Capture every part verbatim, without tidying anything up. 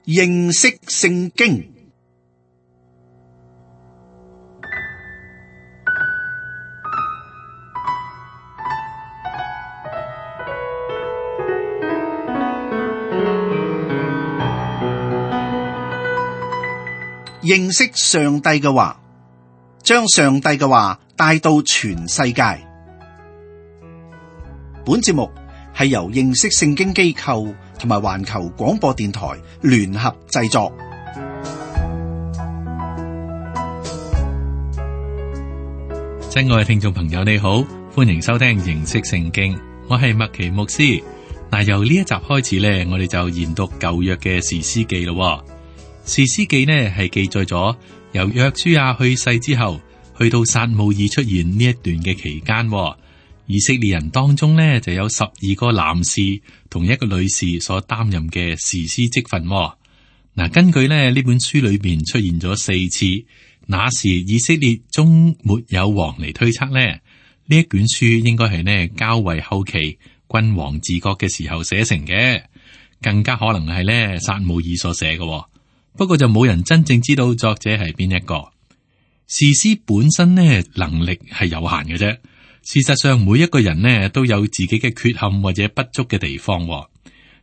認識聖經。認識上帝嘅話，將上帝嘅話帶到全世界。本節目係由認識聖經機構同埋環球廣播電台聯合製作。親愛嘅聽眾朋友，你好，歡迎收聽認識聖經，我係麥奇牧師。嗱，由呢一集開始咧，我哋就研讀舊約嘅士師記咯。士師記呢係記載咗由約書亞去世之後，去到撒母耳出現呢一段嘅期間，以色列人當中呢就有十二個男士同一個女士所擔任嘅士師職分。嗱，根據呢呢本書裏邊出現咗四次，那時以色列中沒有王嚟推測呢，呢一卷書應該係呢較為後期君王治國嘅時候寫成嘅，更加可能係呢撒母耳所寫嘅。不過就冇人真正知道作者係邊一個。士師本身呢能力係有限嘅啫。事實上每一個人呢都有自己嘅缺陷或者不足嘅地方，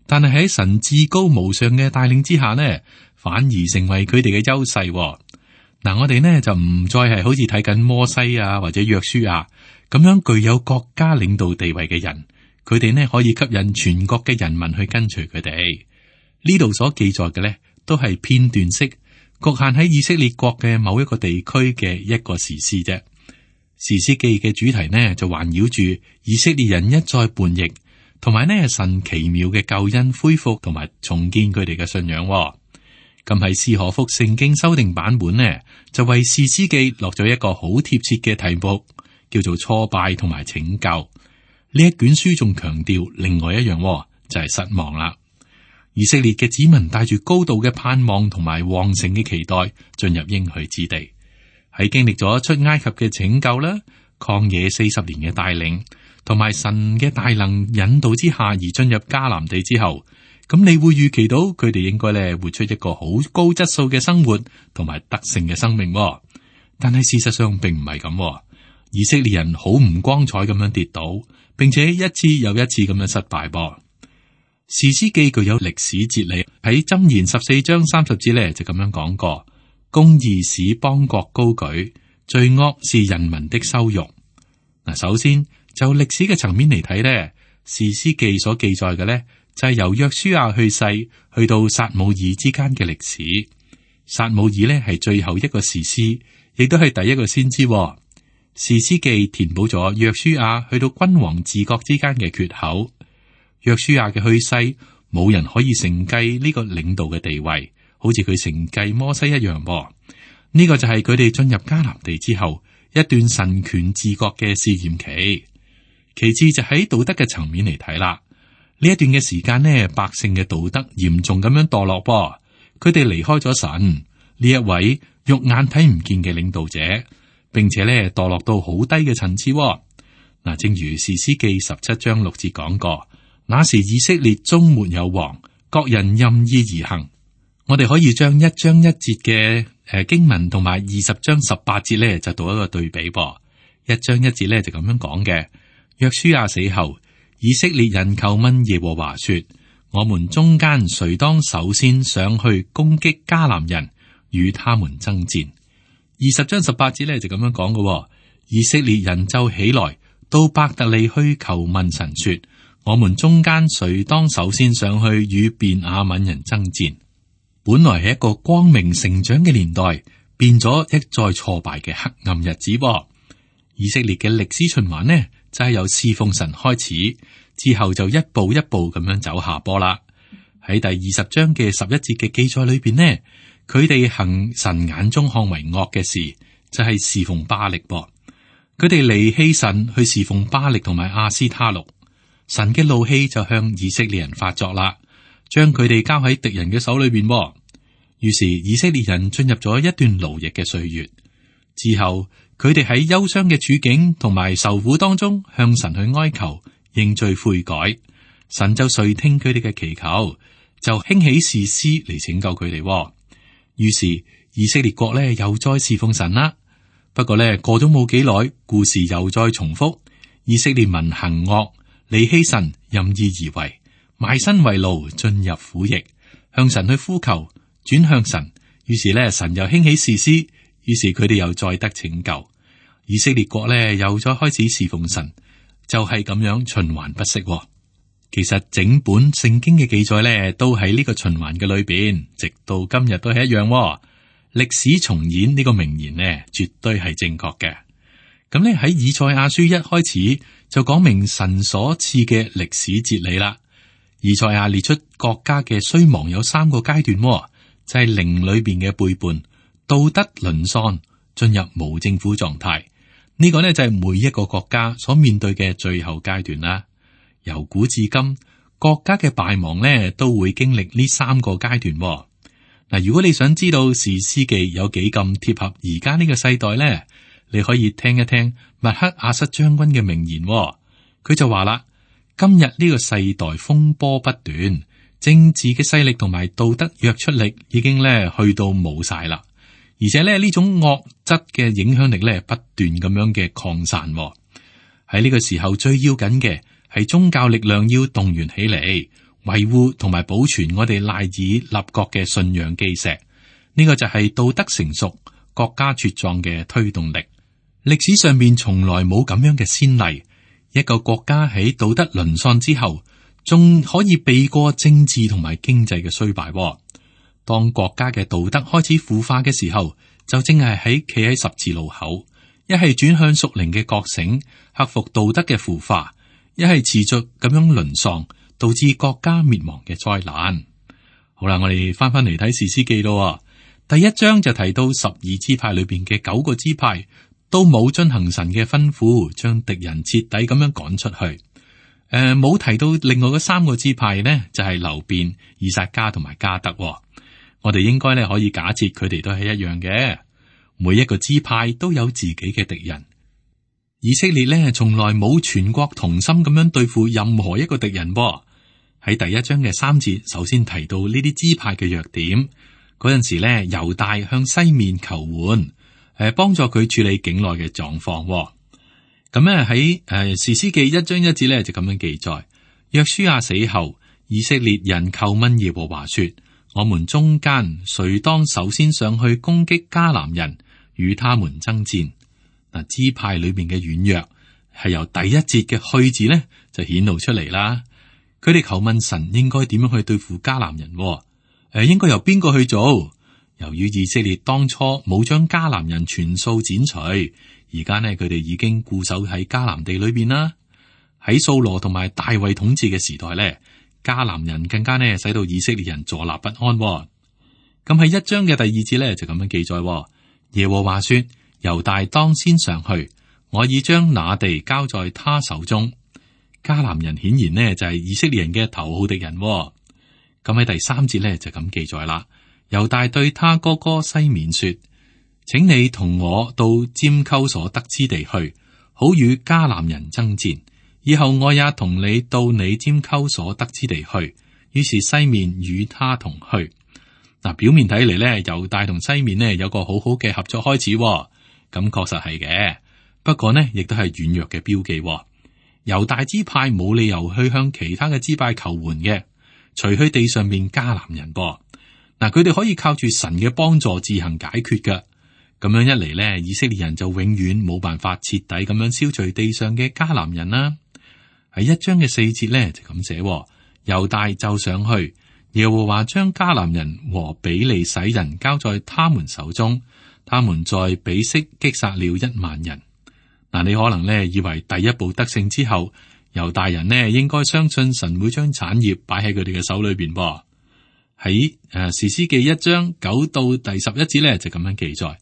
但係喺神至高無上嘅帶領之下呢，反而成為佢哋嘅優勢。嗱，我哋呢就唔再係好似睇緊摩西啊或者約書亞咁樣具有國家領導地位嘅人，佢哋呢可以吸引全國嘅人民去跟隨佢哋。呢度所記載嘅呢，都係片段式，局限喺以色列國嘅某一個地區嘅一個士師啫。士師記嘅主題呢，就環繞住以色列人一再叛逆，同埋呢神奇妙嘅救恩恢復同埋重建佢哋嘅信仰。咁喺斯可福聖經修訂版本呢，就為士師記落咗一個好貼切嘅題目，叫做挫敗同埋拯救。呢一卷書仲強調另外一樣，就係失望啦。以色列嘅子民帶住高度嘅盼望同埋旺盛嘅期待進入應許之地，喺經歷咗出埃及嘅拯救啦、曠野四十年嘅帶領同埋神嘅大能引導之下而進入迦南地之後，咁你會預期到佢哋應該咧活出一個好高質素嘅生活同埋得勝嘅生命。但係事實上並唔係咁，以色列人好唔光彩咁樣跌倒，並且一次又一次咁樣失敗噃。士師記具有歷史哲理，喺箴言十四章三十節咧就咁樣講過：公義使邦國高舉，罪惡是人民的羞辱。嗱，首先就歷史嘅層面嚟睇咧，士師記所記載嘅咧就係由約書亞去世去到撒母耳之間嘅歷史。撒母耳咧係最後一個士師，亦都係第一個先知。士師記填補咗約書亞去到君王治國之間嘅缺口。約書亞嘅去世，冇人可以承繼呢個領導嘅地位，好似佢承繼摩西一樣噃。呢、這個就係佢哋進入迦南地之後一段神權治國嘅試驗期。其次就喺道德嘅層面嚟睇啦，呢一段嘅時間呢，百姓嘅道德嚴重咁樣墮落噃，佢哋離開咗神呢一位肉眼睇唔見嘅領導者，並且呢墮落到好低嘅層次。嗱，正如士師記十七章六節講過。那時以色列中沒有王，各人任意而行。我哋可以將一章一節嘅誒經文同埋二十章十八節咧，就做一個對比噃。一章一節咧就咁樣講嘅：約書亞死後，以色列人求問耶和華說：我們中間誰當首先上去攻擊迦南人，與他們爭戰？二十章十八節咧就咁樣講嘅：以色列人就起來到伯特利去求問神說：我們中間誰當首先上去與便雅憫人爭戰？本來係一個光明成長嘅年代，變咗一再挫敗嘅黑暗日子。以色列嘅歷史循環呢，就係、是、由侍奉神開始，之後就一步一步咁樣走下坡啦。喺第二十章嘅十一節嘅記載裏邊呢，佢哋行神眼中看為惡嘅事，就係、是、侍奉巴力噃。佢哋離棄神去侍奉巴力同埋亞斯他錄。神嘅怒氣就向以色列人發作啦，將佢哋交喺敵人嘅手裏邊。於是以色列人進入咗一段勞役嘅歲月之後，佢哋喺憂傷嘅處境同埋受苦當中向神去哀求認罪悔改，神就垂聽佢哋嘅祈求，就興起士師嚟拯救佢哋。於是以色列國咧又再侍奉神啦。不過咧過咗冇幾耐，故事又再重複。以色列民行惡，離棄神，任意而為，賣身為奴，進入苦役，向神去呼求，轉向神。於是咧神又興起士師，於是佢哋又再得拯救。以色列國咧又再開始侍奉神，就係咁樣循環不息。其實整本聖經嘅記載咧，都喺呢個循環嘅裏邊，直到今日都係一樣。歷史重演呢個名言呢，絕對係正確嘅。咁咧喺以賽亞書一開始就講明神所賜嘅歷史哲理啦。以賽亞列出國家嘅衰亡有三個階段，就係靈裏邊嘅背叛、道德淪喪、進入無政府狀態。呢個呢，就係每一個國家所面對嘅最後階段啦。由古至今，國家嘅敗亡呢都會經歷呢三個階段。嗱，如果你想知道士師記有幾咁貼合而家呢個世代呢，你可以聽一聽麥克阿瑟將軍嘅名言。佢就話啦：今日呢個世代風波不斷，政治嘅勢力同埋道德約束力已經咧去到冇晒啦，而且咧呢種惡質嘅影響力咧不斷咁樣嘅擴散。喺呢個時候最要緊嘅係宗教力量要動員起嚟，維護同埋保存我哋賴以立國嘅信仰基石。呢個就係道德成熟、國家茁壯嘅推動力。歷史上面從來冇咁樣嘅先例，一個國家喺道德淪喪之後，仲可以避過政治同埋經濟嘅衰敗。當國家嘅道德開始腐化嘅時候，就正係喺企喺十字路口，一係轉向屬靈嘅覺醒，克服道德嘅腐化，一係持續咁樣淪喪，導致國家滅亡嘅災難。好啦，我哋翻翻嚟睇士師記咯。第一章就提到十二支派裏邊嘅九個支派都冇遵行神嘅吩咐，將敵人徹底咁樣趕出去。誒、呃，冇提到另外嗰三個支派呢，就係流便、以薩迦同埋迦得。我哋應該咧可以假設佢哋都係一樣嘅，每一個支派都有自己嘅敵人。以色列咧從來冇全國同心咁樣對付任何一個敵人。喺第一章嘅三節，首先提到呢啲支派嘅弱點。嗰陣時咧，猶大向西面求援，誒，幫助佢處理境內嘅狀況。咁咧喺誒士師記一章一節咧就咁樣記載：約書亞死後，以色列人叩問耶和華說：我們中間誰當首先上去攻擊迦南人，與他們爭戰？嗱，支派裏面嘅軟弱係由第一節嘅去字咧就顯露出嚟啦。佢哋求問神應該點樣去對付迦南人？誒、呃，應該由邊個去做？由於以色列當初冇將迦南人全數剪除，而家呢，佢哋已經固守喺迦南地裏邊啦。喺掃羅同埋大衛統治嘅時代咧，迦南人更加呢使到以色列人坐立不安。咁喺一章嘅第二節咧就咁樣記載：耶和華說，猶大當先上去，我已將那地交在他手中。迦南人顯然呢就係以色列人嘅頭號敵人。咁喺第三節咧就咁記載啦。猶大對他哥哥西緬說：請你同我到拈鬮所得之地去，好與迦南人爭戰。以後我也同你到你拈鬮所得之地去。於是西面與他同去。嗱，表面睇嚟咧，猶大同西面呢有個好好嘅合作開始，咁確實係嘅。不過呢，亦都係軟弱嘅標記。猶大支派冇理由去向其他嘅支派求援嘅，除去地上面迦南人噃。嗱，佢哋可以靠住神嘅幫助自行解決㗎。咁樣一嚟呢，以色列人就永遠冇辦法徹底咁樣消除地上嘅迦南人啦。喺一章嘅四節呢，就咁寫：猶大就上去，耶和華將迦南人和比利洗人交在他們手中，他們在比色擊殺了一萬人。嗱，你可能呢以為第一步得勝之後，猶大人呢應該相信神會將產業擺喺佢哋嘅手裏邊噃。喺誒士師記一章九到第十一節呢，就咁樣記載：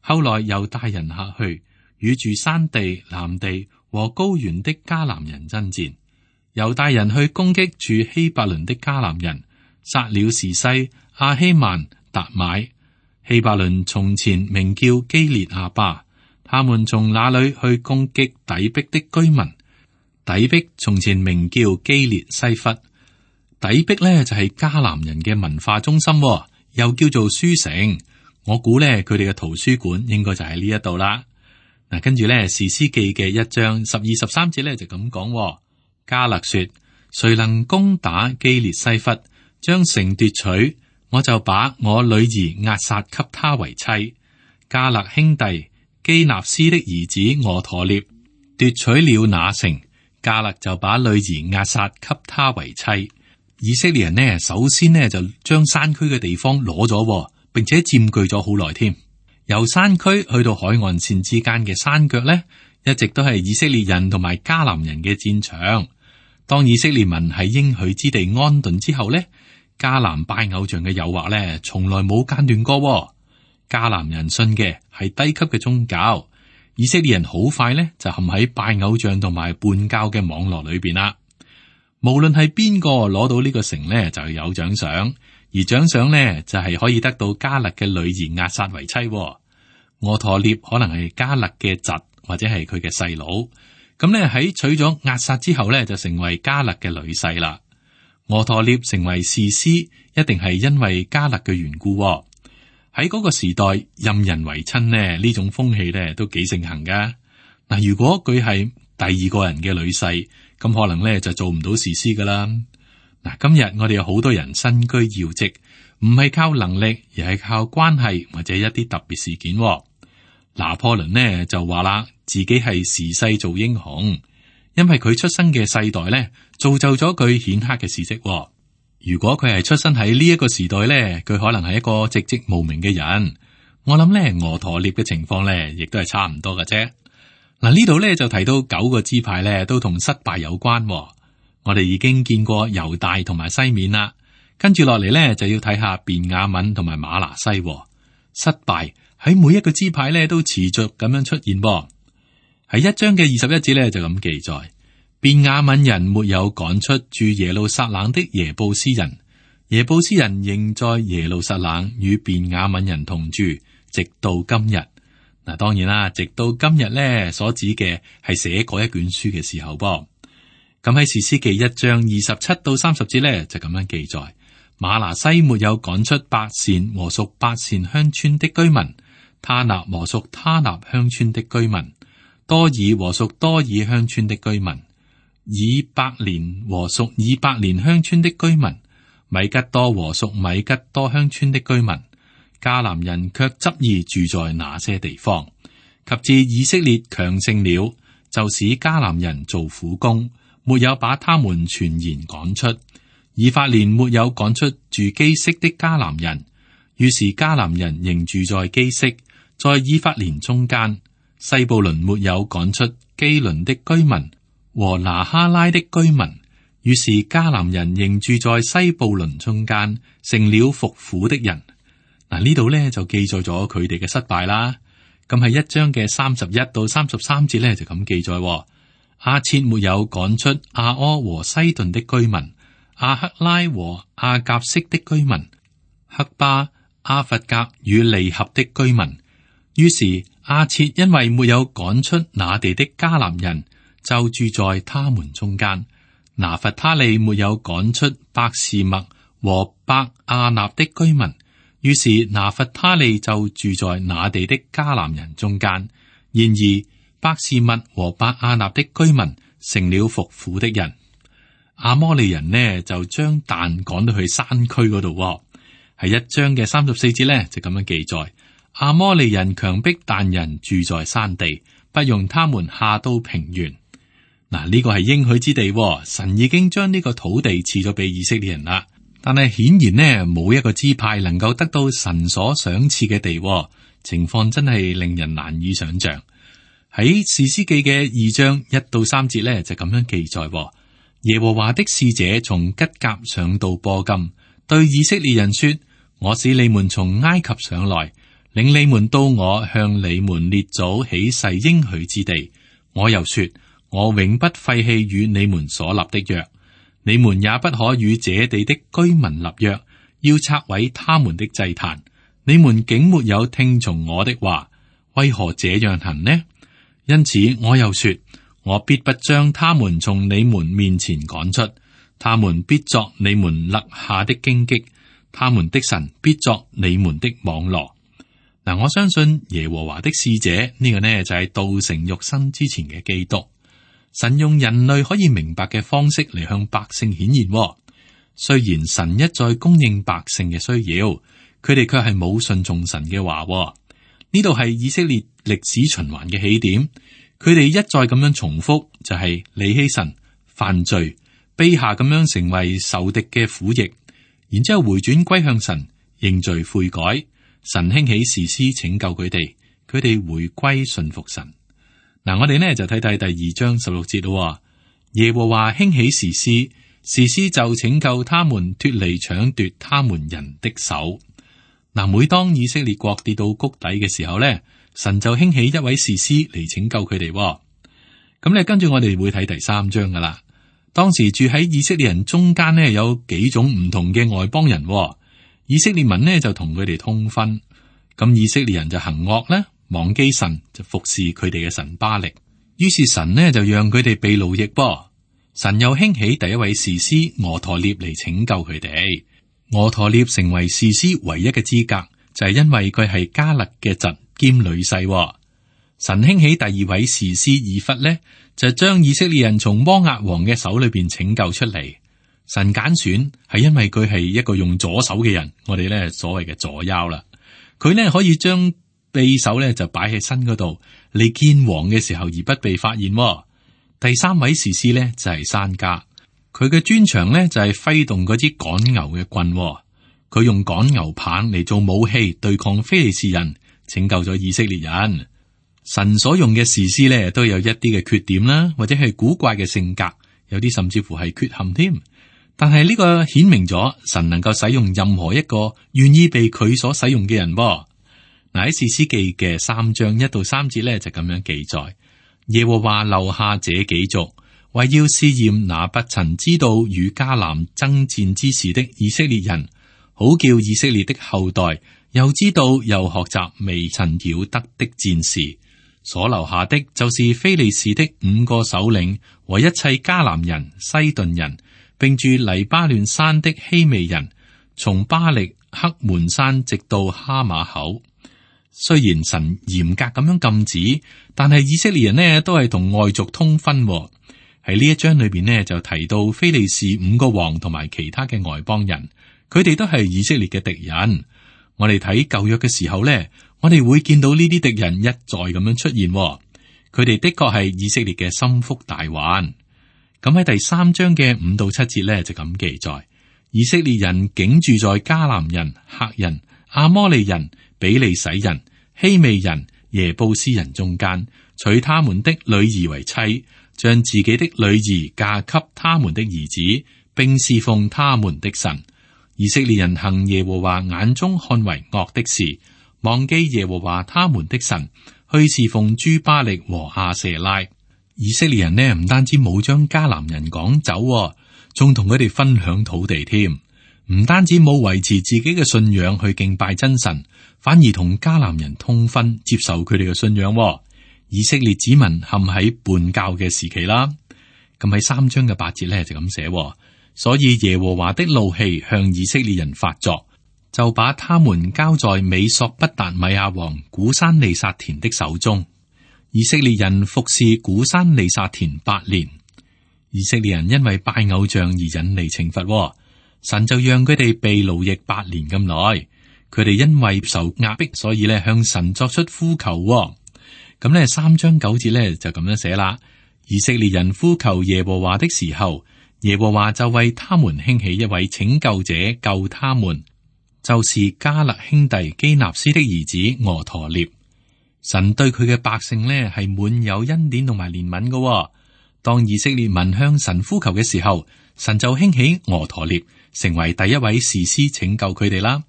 後來猶大人下去，與住山地、南地和高原的迦南人爭戰。猶大人去攻擊住希伯倫的迦南人，殺了士西、亞希曼、達買。希伯倫從前名叫基列亞巴，他們從那裏去攻擊底壁的居民。底壁從前名叫基列西弗。底壁咧就係迦南人嘅文化中心，又叫做書城。我估咧佢哋嘅圖書館應該就喺呢一度啦。嗱，跟住咧士師記嘅一章十二十三節咧就咁講：迦勒說，誰能攻打基列西弗，將城奪取，我就把我女兒押撒給他為妻。迦勒兄弟基納斯的兒子俄陀聶奪取了那城，迦勒就把女兒押撒給他為妻。以色列人呢，首先呢就將山區嘅地方攞咗，並且佔據咗好耐添。由山區去到海岸線之間嘅山腳呢，一直都係以色列人同埋迦南人嘅戰場。當以色列民喺應許之地安頓之後呢，迦南拜偶像嘅誘惑呢，從來冇間斷過。迦南人信嘅係低級嘅宗教，以色列人好快呢就陷喺拜偶像同埋叛教嘅網絡裏邊啦。無論係邊個攞到呢個城呢，就有獎賞，而獎賞呢就係可以得到迦勒嘅女兒押撒為妻。俄陀聶可能係迦勒嘅侄或者係佢嘅細佬，咁呢喺娶咗押撒之後呢，就成為迦勒嘅女婿啦。俄陀聶成為士師，一定係因為迦勒嘅緣故。喺嗰個時代，任人唯親呢，呢種風氣呢都幾盛行噶。嗱，如果佢係第二個人嘅女婿，咁可能咧就做唔到士師噶啦。嗱，今日我哋有好多人身居要職，唔係靠能力，而係靠關係或者一啲特別事件。拿破崙呢就話啦，自己係時勢造英雄，因為佢出生嘅世代咧造就咗佢顯赫嘅事跡。如果佢係出生喺呢一個時代咧，佢可能係一個寂寂無名嘅人。我諗咧，俄陀聶嘅情況咧，亦都係差唔多嘅啫。嗱，呢度咧就提到九個支派咧都同失敗有關。我哋已經見過猶大同埋西面啦，跟住落嚟咧就要睇下便雅憫同埋瑪拿西。失敗喺每一個支派咧都持續咁樣出現。喺一章嘅二十一節咧就咁記載。便雅憫人沒有趕出住耶路撒冷的耶布斯人，耶布斯人仍在耶路撒冷與便雅憫人同住，直到今日。嗱，當然啦，直到今日咧所指嘅係寫嗰一卷書嘅時候噃。咁喺士師記一章二十七到三十節咧就咁樣記載：瑪拿西沒有趕出伯善和屬伯善鄉村的居民，他納和屬他納鄉村的居民，多爾和屬多爾鄉村的居民，以伯蓮和屬以伯蓮鄉村的居民，米吉多和屬米吉多鄉村的居民。迦南人卻執意住在那些地方，及至以色列強盛了，就使迦南人做苦工，沒有把他們全然趕出。以法蓮沒有趕出住基色的迦南人，於是迦南人仍住在基色，在以法蓮中間。西布倫沒有趕出基倫的居民和拿哈拉的居民，於是迦南人仍住在西布倫中間，成了服苦的人。嗱，呢度咧就記載咗佢哋嘅失敗啦。咁係一章嘅三十一到三十三節咧就咁記載：亞設沒有趕出亞柯和西頓的居民，亞克拉和亞甲色的居民，黑巴、阿弗甲與利合的居民。於是亞設因為沒有趕出那地的迦南人，就住在他們中間。拿弗他利沒有趕出伯示麥和伯亞納的居民。於是拿弗他利就住在那地的迦南人中間。然而伯示麥和伯亞納的居民成了服苦的人。亞摩利人呢就將但趕到去山區嗰度。係一章嘅三十四節呢就咁樣記載：亞摩利人強迫但人住在山地，不容他們下到平原。嗱，呢個係應許之地，神已經將呢個土地賜咗俾以色列人啦。但係顯然呢，冇一個支派能夠得到神所賞賜嘅地，情況真係令人難以想象。喺士師記嘅二章一到三節呢，就咁樣記載：耶和華的使者從吉甲上到波金，對以色列人說：我使你們從埃及上來，領你們到我向你們列祖起誓應許之地。我又說：我永不廢棄與你們所立的約。你們也不可與這地的居民立約，要拆毀他們的祭壇。你們竟沒有聽從我的話，為何這樣行呢？因此我又說：我必不將他們從你們面前趕出，他們必作你們勒下的荊棘，他們的神必作你們的網羅。嗱，我相信耶和華的使者呢、這個呢就係道成肉身之前嘅基督。神用人類可以明白嘅方式嚟向百姓顯現。雖然神一再供應百姓嘅需要，佢哋卻係冇順從神嘅話。呢度係以色列歷史循環嘅起點，佢哋一再咁樣重複，就係離棄神、犯罪、卑下咁樣成為仇敵嘅苦役，然之後回轉歸向神，認罪悔改。神興起士師拯救佢哋，佢哋回歸順服神。嗱，我哋呢就睇睇第二章十六節咯。耶和華興起士師，士師就拯救他們脫離搶奪他們人的手。嗱，每當以色列國跌到谷底嘅時候呢，神就興起一位士師嚟拯救佢哋。咁咧，跟住我哋會睇第三章噶啦。當時住喺以色列人中間呢，有幾種唔同嘅外邦人。以色列民呢就同佢哋通婚，咁以色列人就行惡咧，忘記神，就服侍佢哋嘅神巴力。於是神呢就讓佢哋被奴役噃。神又興起第一位士師俄陀聶嚟拯救佢哋。俄陀聶成為士師唯一嘅資格，就係因為佢係迦勒嘅侄兼女婿。神興起第二位士師以弗呢，就將以色列人從摩押王嘅手裏邊拯救出嚟。神揀選係因為佢係一個用左手嘅人，我哋咧所謂嘅左腰啦。佢咧可以將匕首咧就擺喺身嗰度，嚟見王嘅時候而不被發現。第三位士師咧就係珊迦，佢嘅專長咧就係揮動嗰支趕牛嘅棍，佢用趕牛棒嚟做武器對抗非利士人，拯救咗以色列人。神所用嘅士師咧都有一啲嘅缺點啦，或者係古怪嘅性格，有啲甚至乎係缺陷添。但係呢個顯明咗神能夠使用任何一個願意被佢所使用嘅人。嗱，喺士師記嘅三章一到三節咧就咁樣記載：耶和華留下這幾族，為要試驗那不曾知道與迦南爭戰之事的以色列人，好叫以色列的後代又知道又學習未曾曉得的戰事。所留下的就是非利士的五個首領和一切迦南人、西頓人，並住黎巴嫩山的希未人，從巴力黑門山直到哈馬口。雖然神嚴格咁樣禁止，但係以色列人呢都係同外族通婚。喺呢一章裏邊呢就提到非利士五個王同埋其他嘅外邦人，佢哋都係以色列嘅敵人。我哋睇舊約嘅時候呢，我哋會見到呢啲敵人一再咁樣出現。佢哋的確係以色列嘅心腹大患。咁喺第三章嘅五到七節咧就咁記載：以色列人竟住在迦南人、赫人、阿摩利人、比利洗人、希未人、耶布斯人中間，娶他們的女兒為妻，將自己的女兒嫁給他們的兒子，並侍奉他們的神。以色列人行耶和華眼中看為惡的事，忘記耶和華他們的神，去侍奉諸巴力和亞舍拉。以色列人呢，唔單止冇將迦南人趕走，仲同佢哋分享土地添。唔單止冇維持自己嘅信仰去敬拜真神，反而同迦南人通婚，接受佢哋嘅信仰。以色列子民陷喺叛教嘅時期啦。咁喺三章嘅八節咧就咁寫，所以耶和華的怒氣向以色列人發作，就把他們交在美索不達米亞王古珊利薩田的手中。以色列人服侍古珊利薩田八年。以色列人因為拜偶像而引嚟懲罰，神就讓佢哋被奴役八年咁耐。佢哋因為受壓迫，所以咧向神作出呼求。咁咧三章九節咧就咁樣寫啦：以色列人呼求耶和華的時候，耶和華就為他們興起一位拯救者救他們，就是迦勒兄弟基納斯的兒子俄陀聶。神對佢嘅百姓呢係滿有恩典同埋憐憫嘅。當以色列民向神呼求嘅時候，神就興起俄陀聶成為第一位士師拯救佢哋啦。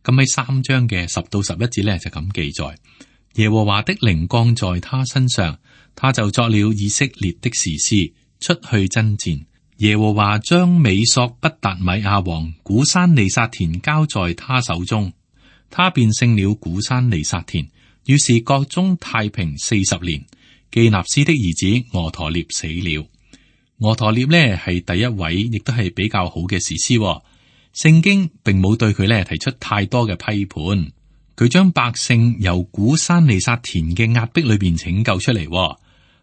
咁喺三章嘅十到十一節呢，就咁記載：耶和華的靈降在他身上，他就作了以色列的士師，出去爭戰。耶和華將美索不達米亞王古珊利薩田交在他手中，他便勝了古珊利薩田。於是國中太平四十年。基納斯的兒子俄陀聶死了。俄陀聶呢係第一位，亦都係比較好嘅士師，哦。聖經並冇對佢呢提出太多嘅批判，佢將百姓由古珊利薩田嘅壓迫裏邊拯救出嚟，哦。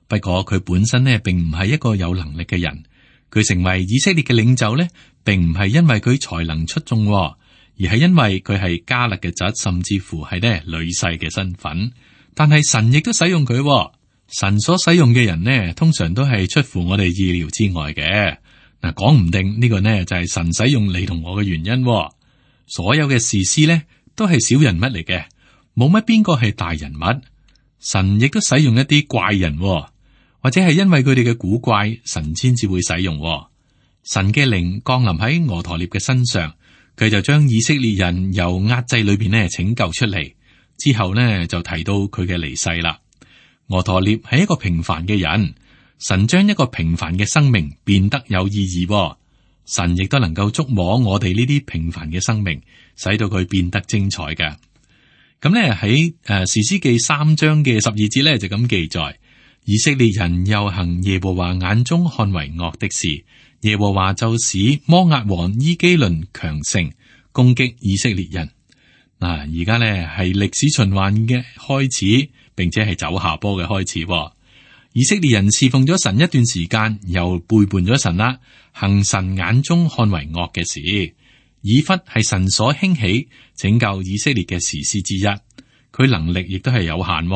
不過佢本身呢並唔係一個有能力嘅人，佢成為以色列嘅領袖呢，並唔係因為佢才能出眾，哦，而係因為佢係迦勒嘅侄，甚至乎係呢女婿嘅身份。但係神亦都使用佢，哦。神所使用嘅人呢，通常都係出乎我哋意料之外嘅。嗱，講唔定呢個呢就係神使用你同我嘅原因。所有嘅士師呢都係小人物嚟嘅，冇乜邊個係大人物。神亦都使用一啲怪人，或者係因為佢哋嘅古怪，神先至會使用。神嘅靈降臨喺俄陀聶嘅身上，佢就將以色列人由壓制裏邊呢拯救出嚟。之後呢就提到佢嘅離世啦。俄陀聶係一個平凡嘅人，神將一個平凡嘅生命變得有意義。神亦都能夠觸摸我哋呢啲平凡嘅生命，使到佢變得精彩嘅。咁咧喺誒士師記三章嘅十二節咧就咁記載：以色列人又行耶和華眼中看為惡的事，耶和華就使摩押王伊基倫強盛，攻擊以色列人。嗱，而家咧係歷史循環嘅開始，並且係走下坡嘅開始。以色列人侍奉咗神一段時間，又背叛咗神啦，行神眼中看為惡嘅事。以弗係神所興起拯救以色列嘅士師之一，佢能力亦都係有限。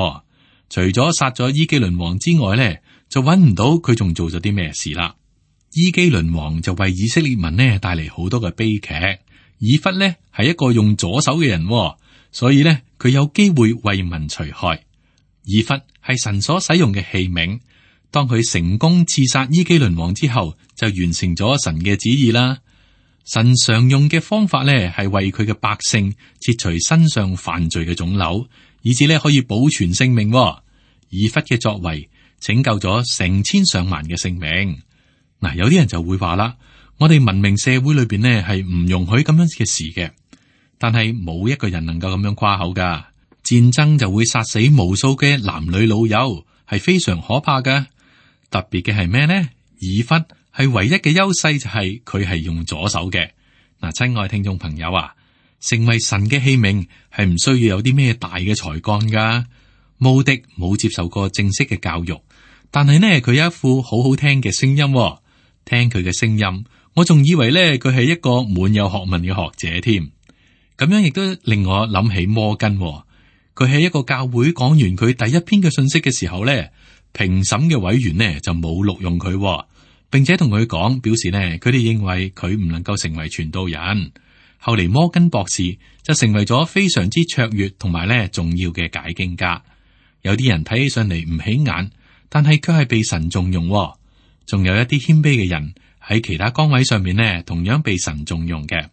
除咗殺咗伊基倫王之外咧，就揾唔到佢仲做咗啲咩事啦。伊基倫王就為以色列民呢帶嚟好多嘅悲劇。以弗呢係一個用左手嘅人，所以呢，佢有機會為民除害。以弗係神所使用嘅器皿，當佢成功刺殺伊基倫王之後，就完成咗神嘅旨意啦。神常用嘅方法呢，係為佢嘅百姓切除身上犯罪嘅腫瘤，以至呢可以保存性命。以弗嘅作為拯救咗成千上萬嘅性命。嗱，有啲人就會話啦，我哋文明社會裏邊呢係唔容許咁樣嘅事嘅，但係冇一個人能夠咁樣誇口噶。戰爭就會殺死無數嘅男女老幼，係非常可怕嘅。特別嘅係咩呢？以弗係唯一嘅優勢就係佢係用左手嘅。嗱，親愛聽眾朋友啊，成為神嘅器皿係唔需要有啲咩大嘅才幹噶。慕迪冇接受過正式嘅教育，但係呢佢有一副好好聽嘅聲音。聽佢嘅聲音，我仲以為呢佢係一個滿有學問嘅學者添。咁樣亦都令我諗起摩根。佢喺一個教會講完佢第一篇嘅信息嘅時候呢，評審嘅委員呢就冇錄用佢，並且同佢講，表示呢佢哋認為佢唔能夠成為傳道人。後嚟摩根博士就成為咗非常之卓越同埋呢重要嘅解經家。有啲人睇起上嚟唔起眼，但係卻係被神重用。仲有一啲謙卑嘅人喺其他崗位上面呢，同樣被神重用嘅。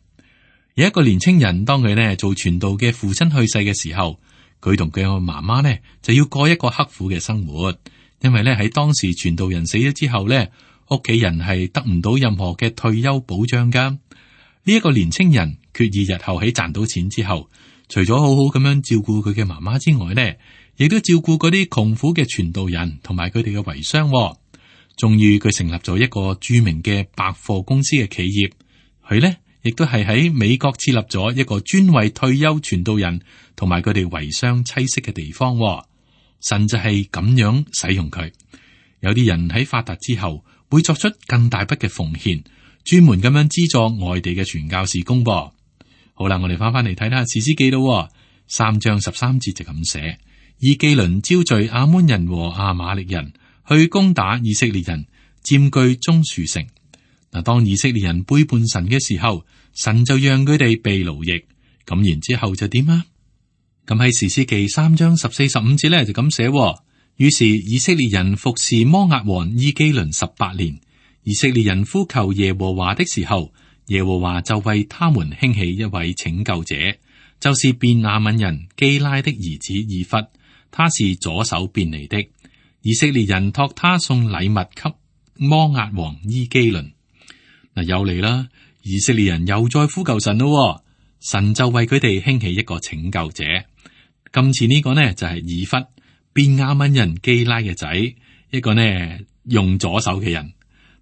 有一個年青人，當佢呢做傳道嘅父親去世嘅時候，佢同佢嘅媽媽呢就要過一個刻苦嘅生活，因為呢喺當時傳道人死咗之後呢，屋企人係得唔到任何嘅退休保障噶。呢一個年青人決意日後喺賺到錢之後，除咗好好咁樣照顧佢嘅媽媽之外呢，亦都照顧嗰啲窮苦嘅傳道人同埋佢哋嘅遺孀。終於佢成立咗一個著名嘅百貨公司嘅企業，佢呢亦都係喺美國設立咗一個專為退休傳道人同埋佢哋遺孀棲息嘅地方。神就係咁樣使用佢。有啲人喺發達之後會作出更大筆嘅奉獻，專門咁樣資助外地嘅傳教事工。噃，好啦，我哋翻翻嚟睇下士師記咯。三章十三節就咁寫：以基倫招聚亞捫人和亞瑪力人去攻打以色列人，佔據棕樹城。嗱，當以色列人背叛神嘅時候，神就讓佢哋被奴役。咁然之後就點啊？咁喺士師記三章十四十五節咧就咁寫：於是以色列人服侍摩押王伊基倫十八年。以色列人呼求耶和華的時候，耶和華就為他們興起一位拯救者，就是便雅憫人基拉的兒子以弗，他是左手便利的。以色列人託他送禮物給摩押王伊基倫。嗱，又嚟啦！以色列人又再呼求神咯，神就為佢哋興起一個拯救者。今次呢個呢就係以弗，便雅憫人基拉嘅仔，一個呢用左手嘅人。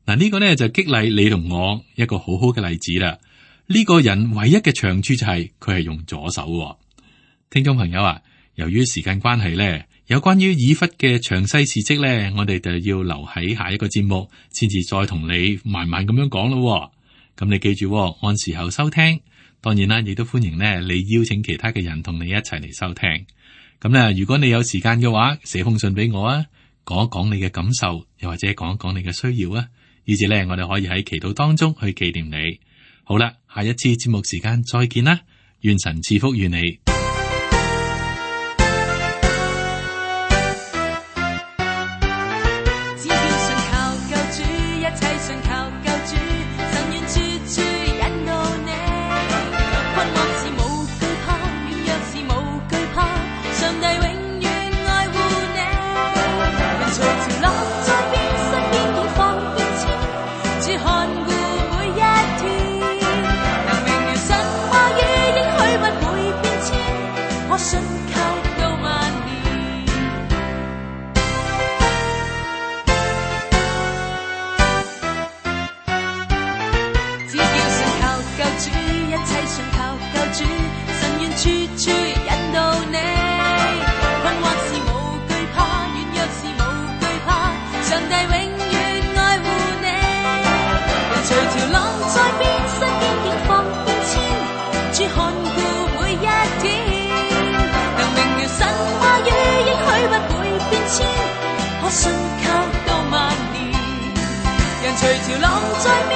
嗱，呢個呢就激勵你同我一個好好嘅例子啦。呢個人唯一嘅長處就係佢係用左手喎。聽眾朋友啊，由於時間關係呢，有關於以弗嘅詳細事蹟呢，我哋就要留喺下一個節目，先至再同你慢慢咁樣講咯。咁你記住喎，按時候收聽。當然啦，亦都歡迎呢你邀請其他嘅人同你一齊嚟收聽。咁咧，如果你有時間嘅話，寫封信俾我啊，講一講你嘅感受，又或者講一講你嘅需要啊，以至咧我哋可以喺祈禱當中去紀念你。好啦，下一次節目時間再見啦，願神賜福於你。只要信靠救主，一切信靠救主，神願處處引導你。困惑時無懼怕，軟弱時無懼怕，上帝永遠愛護你。人隨潮浪在變，身邊境況變遷，主看顧每一天。能明了神話語應許不會變遷，可信靠到萬年。只要信靠救主，一切信靠救主，神願處處引導你。困惑時無懼怕，軟弱時無懼怕，上帝永遠愛護你。人隨潮浪在變，身邊境況變遷，主看顧每一天。能明了神話語應許不會變遷，可信靠到萬年。人隨潮浪在變，